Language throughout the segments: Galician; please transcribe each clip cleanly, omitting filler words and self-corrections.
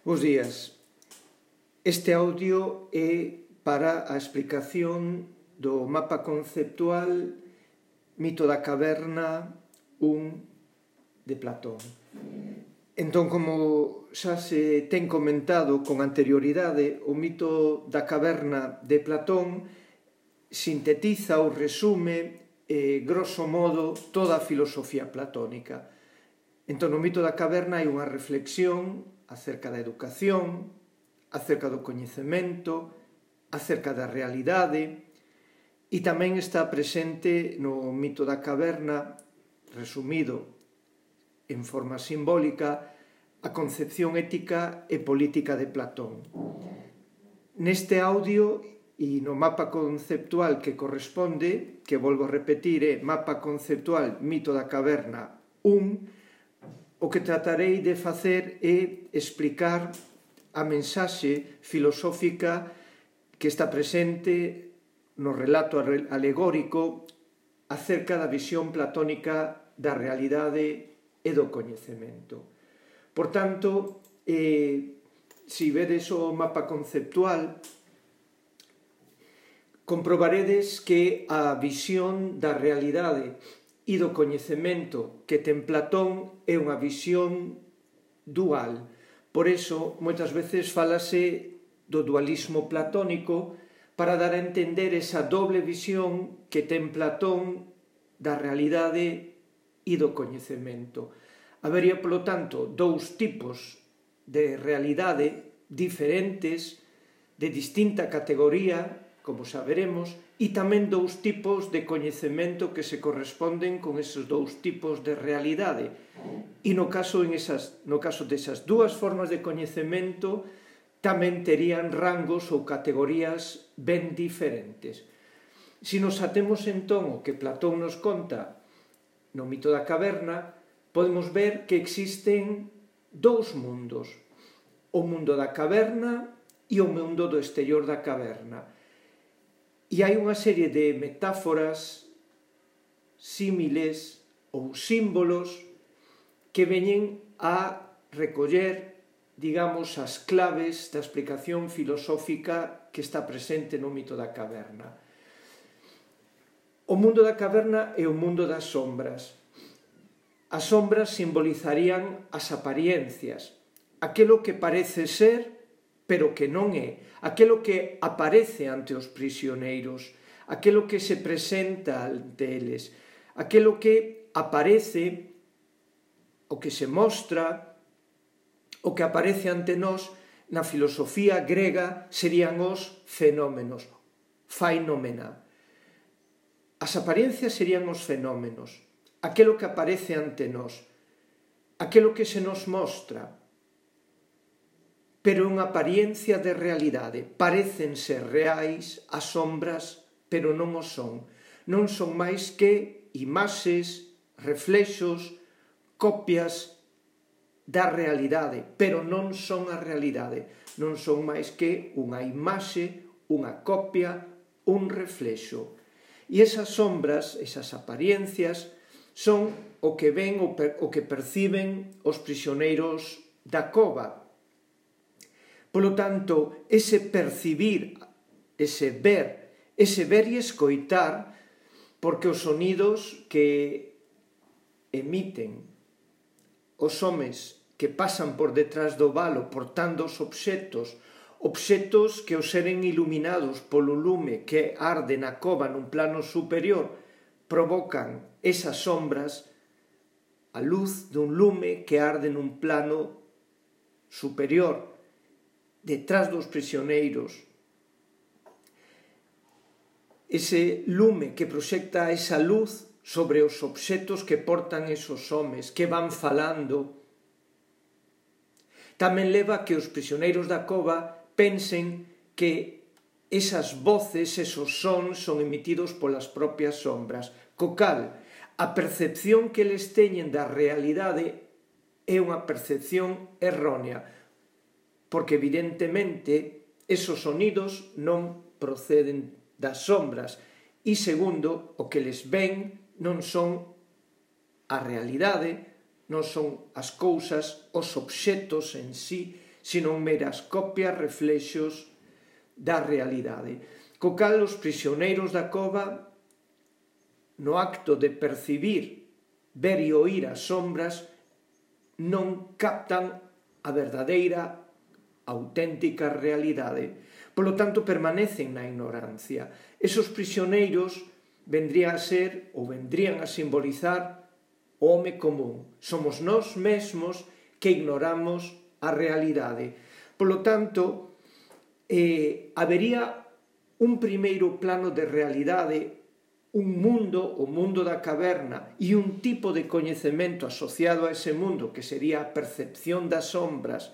Bos días. Este audio é para a explicación do mapa conceptual Mito da Caverna 1 de Platón. Entón, como xa se ten comentado con anterioridade, o mito da caverna de Platón sintetiza ou resume, grosso modo, toda a filosofía platónica. Entón, no mito da caverna hai unha reflexión acerca da educación, acerca do coñecemento, acerca da realidade, e tamén está presente no mito da caverna, resumido en forma simbólica, a concepción ética e política de Platón. Neste audio e no mapa conceptual que corresponde, que volvo a repetir é mapa conceptual Mito da Caverna 1, o que tratarei de facer é explicar a mensaxe filosófica que está presente no relato alegórico acerca da visión platónica da realidade e do coñecemento. Por tanto, se vedes o mapa conceptual, comprobaredes que a visión da realidade e do coñecemento que ten Platón é unha visión dual. Por iso, moitas veces falase do dualismo platónico para dar a entender esa doble visión que ten Platón da realidade e do coñecemento. Habería, polo tanto, dous tipos de realidade diferentes, de distinta categoría, como saberemos, e tamén dous tipos de coñecemento que se corresponden con esos dous tipos de realidade. E no caso desas dúas formas de coñecemento tamén terían rangos ou categorías ben diferentes. Se nos atemos entón o que Platón nos conta no mito da caverna, podemos ver que existen dous mundos, o mundo da caverna e o mundo do exterior da caverna. E hai unha serie de metáforas, símiles ou símbolos que veñen a recoller, digamos, as claves da explicación filosófica que está presente no mito da caverna. O mundo da caverna é o mundo das sombras. As sombras simbolizarían as apariencias, aquilo que parece ser, pero que non é, aquilo que aparece ante os prisioneiros, aquilo que se presenta ante eles, aquilo que aparece, o que se mostra, o que aparece ante nós na filosofía grega serían os fenómenos, phaenomena. As apariencias serían os fenómenos, aquilo que aparece ante nós, aquilo que se nos mostra, pero é unha apariencia de realidade. Parecen ser reais as sombras, pero non o son. Non son máis que imaxes, reflexos, copias da realidade, pero non son a realidade. Non son máis que unha imaxe, unha copia, un reflexo. E esas sombras, esas apariencias, son o que ven, o que perciben os prisioneiros da cova. Polo tanto, ese percibir, ese ver e escoitar, porque os sonidos que emiten os homes que pasan por detrás do valo portando os obxetos que ao seren iluminados polo lume que arde na cova nun plano superior, provocan esas sombras, a luz dun lume que arde nun plano superior, detrás dos prisioneiros. Ese lume que proxecta esa luz sobre os obxetos que portan esos homes, que van falando, tamén leva a que os prisioneiros da cova pensen que esas voces, esos sons, son emitidos polas propias sombras. Co cal, a percepción que eles teñen da realidade é unha percepción errónea, porque evidentemente esos sonidos non proceden das sombras e, segundo, o que les ven non son a realidade, non son as cousas, os obxetos en sí, senón meras copias, reflexos da realidade. Co cal os prisioneiros da cova, no acto de percibir, ver e oír as sombras, non captan a verdadeira, auténtica realidade. Polo tanto, permanecen na ignorancia. Esos prisioneiros vendrían a simbolizar o home común. Somos nós mesmos que ignoramos a realidade. Polo tanto, habería un primeiro plano de realidade, un mundo, o mundo da caverna, e un tipo de coñecemento asociado a ese mundo, que sería a percepción das sombras,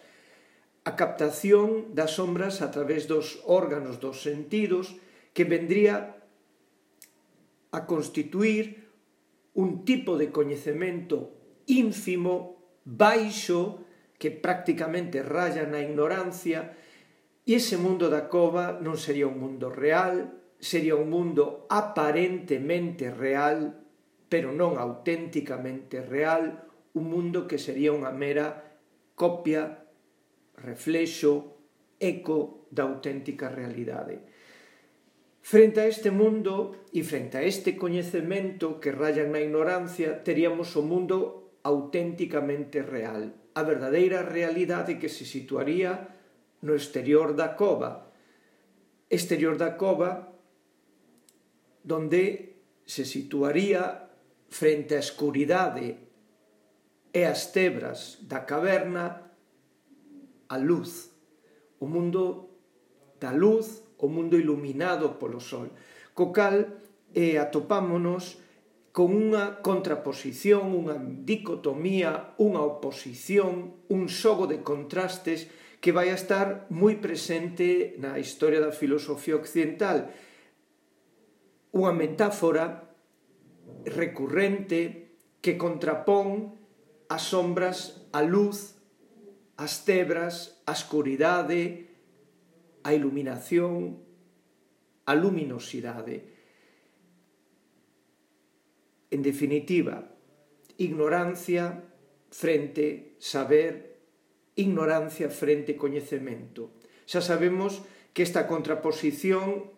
a captación das sombras a través dos órganos dos sentidos, que vendría a constituir un tipo de coñecemento ínfimo, baixo, que prácticamente raya na ignorancia, e ese mundo da cova non sería un mundo real, sería un mundo aparentemente real, pero non auténticamente real, un mundo que sería unha mera copia, reflexo, eco da auténtica realidade. Frente a este mundo e frente a este coñecemento que rayan na ignorancia, teríamos o mundo auténticamente real, a verdadeira realidade que se situaría no exterior da cova. Exterior da cova, donde se situaría frente á escuridade e as tebras da caverna a luz, o mundo da luz, o mundo iluminado polo sol, co cal atopámonos con unha contraposición, unha dicotomía, unha oposición, un xogo de contrastes que vai a estar moi presente na historia da filosofía occidental. Unha metáfora recurrente que contrapón as sombras, a luz, as tebras, a escuridade, a iluminación, a luminosidade. En definitiva, ignorancia frente saber, ignorancia frente coñecemento. Xa sabemos que esta contraposición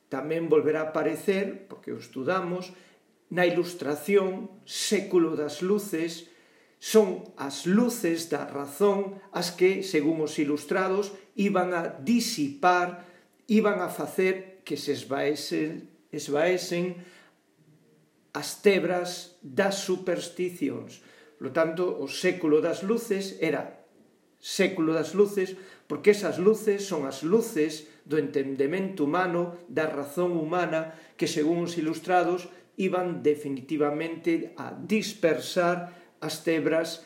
tamén volverá a aparecer, porque o estudamos, na Ilustración, século das luces. Son as luces da razón as que, según os ilustrados, iban a disipar, iban a facer que se esvaesen as tebras das supersticións. Por tanto, o século das luces era século das luces porque esas luces son as luces do entendemento humano, da razón humana, que, según os ilustrados, iban definitivamente a dispersar as tebras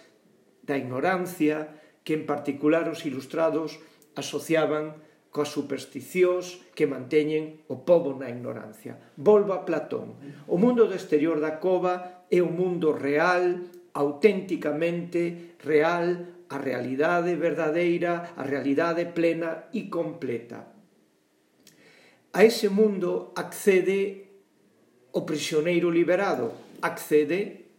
da ignorancia que, en particular, os ilustrados asociaban coas supersticións que manteñen o pobo na ignorancia. Volvo a Platón. O mundo do exterior da cova é un mundo real, auténticamente real, a realidade verdadeira, a realidade plena e completa. A ese mundo accede o prisioneiro liberado, accede,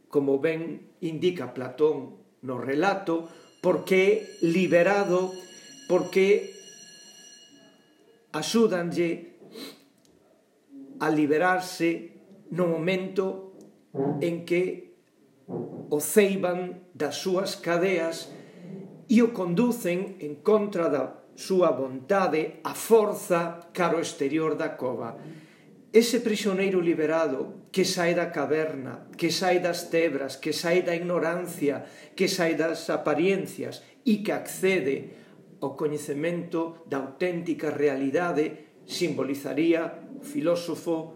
como ben indica Platón no relato, porque é liberado, porque axúdanlle a liberarse no momento en que o ceiban das súas cadeas e o conducen en contra da súa vontade, a forza, cara ao exterior da cova. Ese prisioneiro liberado que sae da caverna, que sae das tebras, que sae da ignorancia, que sae das apariencias e que accede ao coñecemento da auténtica realidade, simbolizaría o filósofo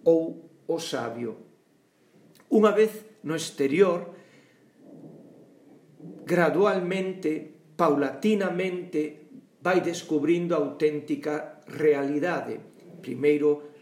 ou o sabio. Unha vez no exterior, gradualmente, paulatinamente, vai descubrindo a auténtica realidade. Primeiro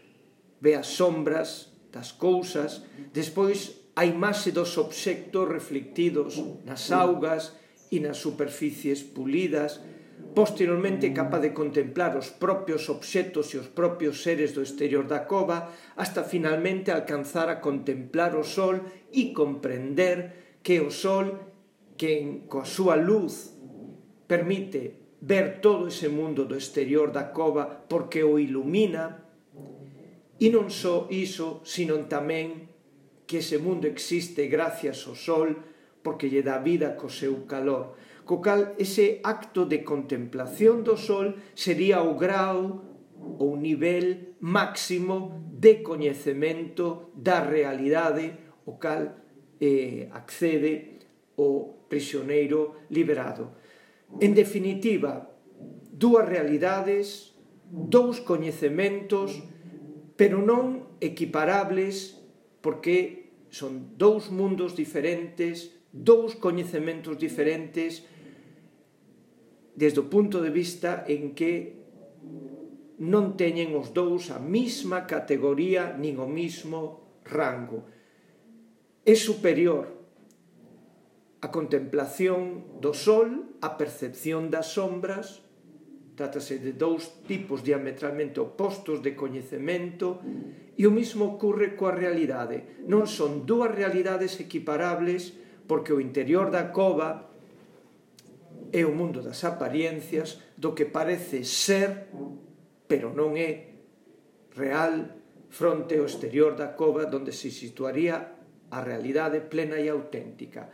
ve as sombras das cousas, despois a imaxe dos obxectos reflectidos nas augas e nas superficies pulidas, posteriormente capaz de contemplar os propios obxectos e os propios seres do exterior da cova, hasta finalmente alcanzar a contemplar o sol e comprender que o sol, que coa súa luz permite ver todo ese mundo do exterior da cova porque o ilumina, e non só iso, sino tamén que ese mundo existe gracias ao sol porque lle dá vida co seu calor. Co cal, ese acto de contemplación do sol sería o grau ou nivel máximo de coñecemento da realidade o cal accede o prisioneiro liberado. En definitiva, dúas realidades, dous coñecementos, pero non equiparables porque son dous mundos diferentes, dous coñecementos diferentes desde o punto de vista en que non teñen os dous a mesma categoría nin o mesmo rango. É superior a contemplación do sol, a percepción das sombras. Trátase de dous tipos diametralmente opostos de coñecemento, e o mesmo ocurre coa realidade. Non son dúas realidades equiparables porque o interior da cova é o mundo das apariencias, do que parece ser, pero non é real, fronte ao exterior da cova, onde se situaría a realidade plena e auténtica.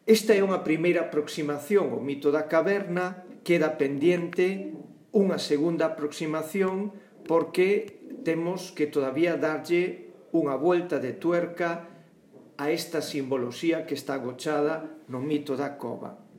Esta é unha primeira aproximación ao mito da caverna. Queda pendiente unha segunda aproximación porque temos que todavía darlle unha vuelta de tuerca a esta simboloxía que está agochada no mito da cova.